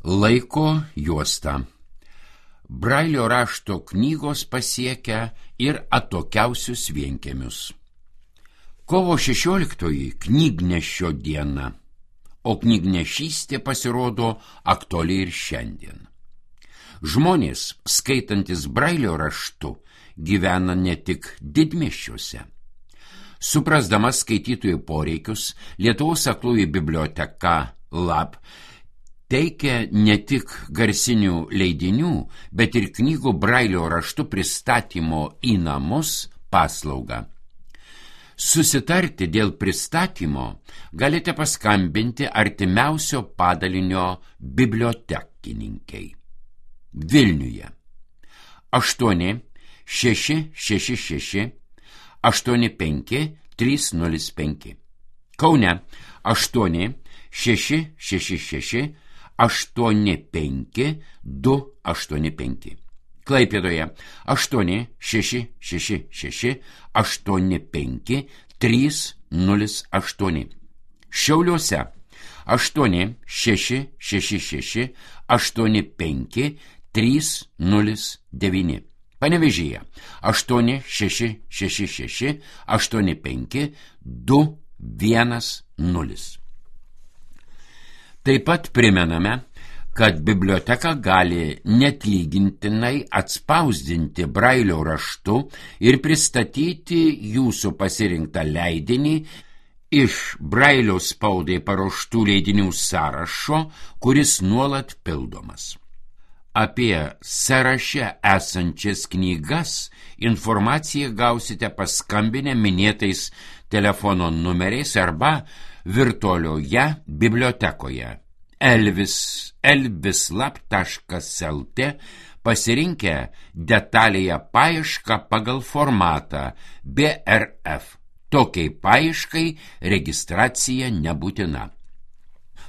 Laiko juosta. Brailio rašto knygos pasiekia ir atokiausius vienkiemius. Kovo 16 knygnešio diena, o knygnešystė pasirodo aktuali ir šiandien. Žmonės, skaitantis Brailio raštu, gyvena ne tik didmiesčiuose. Suprasdama skaitytojų poreikius, Lietuvos aklųjų biblioteka LAB teikia ne tik garsinių leidinių, bet ir knygų Brailio raštu pristatymo į namus paslaugą. Susitarti dėl pristatymo galite paskambinti artimiausio padalinio bibliotekininkei. Vilniuje 8 666 85 305. Kaune 8 666 85 285. Klaipėdoje 8 666 85 308. Šiauliuose 8 666 85 309. Panevėžyje 8 666 85 210. Taip pat primename, kad biblioteka gali neatlygintinai atspausdinti Brailio raštu ir pristatyti jūsų pasirinktą leidinį iš Brailio spaudai paruoštų leidinių sąrašo, kuris nuolat pildomas. Apie sąraše esančias knygas informaciją gausite paskambinę minėtais telefono numeriais arba virtualioje bibliotekoje elvislab.lt pasirinkę detalėje paiešką pagal formatą BRF. Tokiai paieškai registracija nebūtina.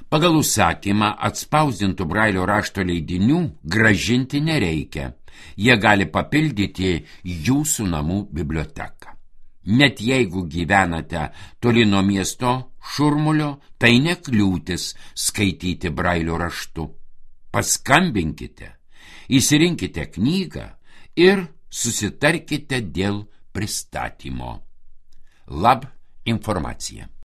Pagal užsakymą atspausdintų Brailio rašto leidinių grąžinti nereikia. Jie gali papildyti jūsų namų biblioteką. Net jeigu gyvenate toli nuo miesto šurmulio, tai nekliūtis skaityti Brailio raštu. Paskambinkite, išsirinkite knygą ir susitarkite dėl pristatymo. LAB informacija.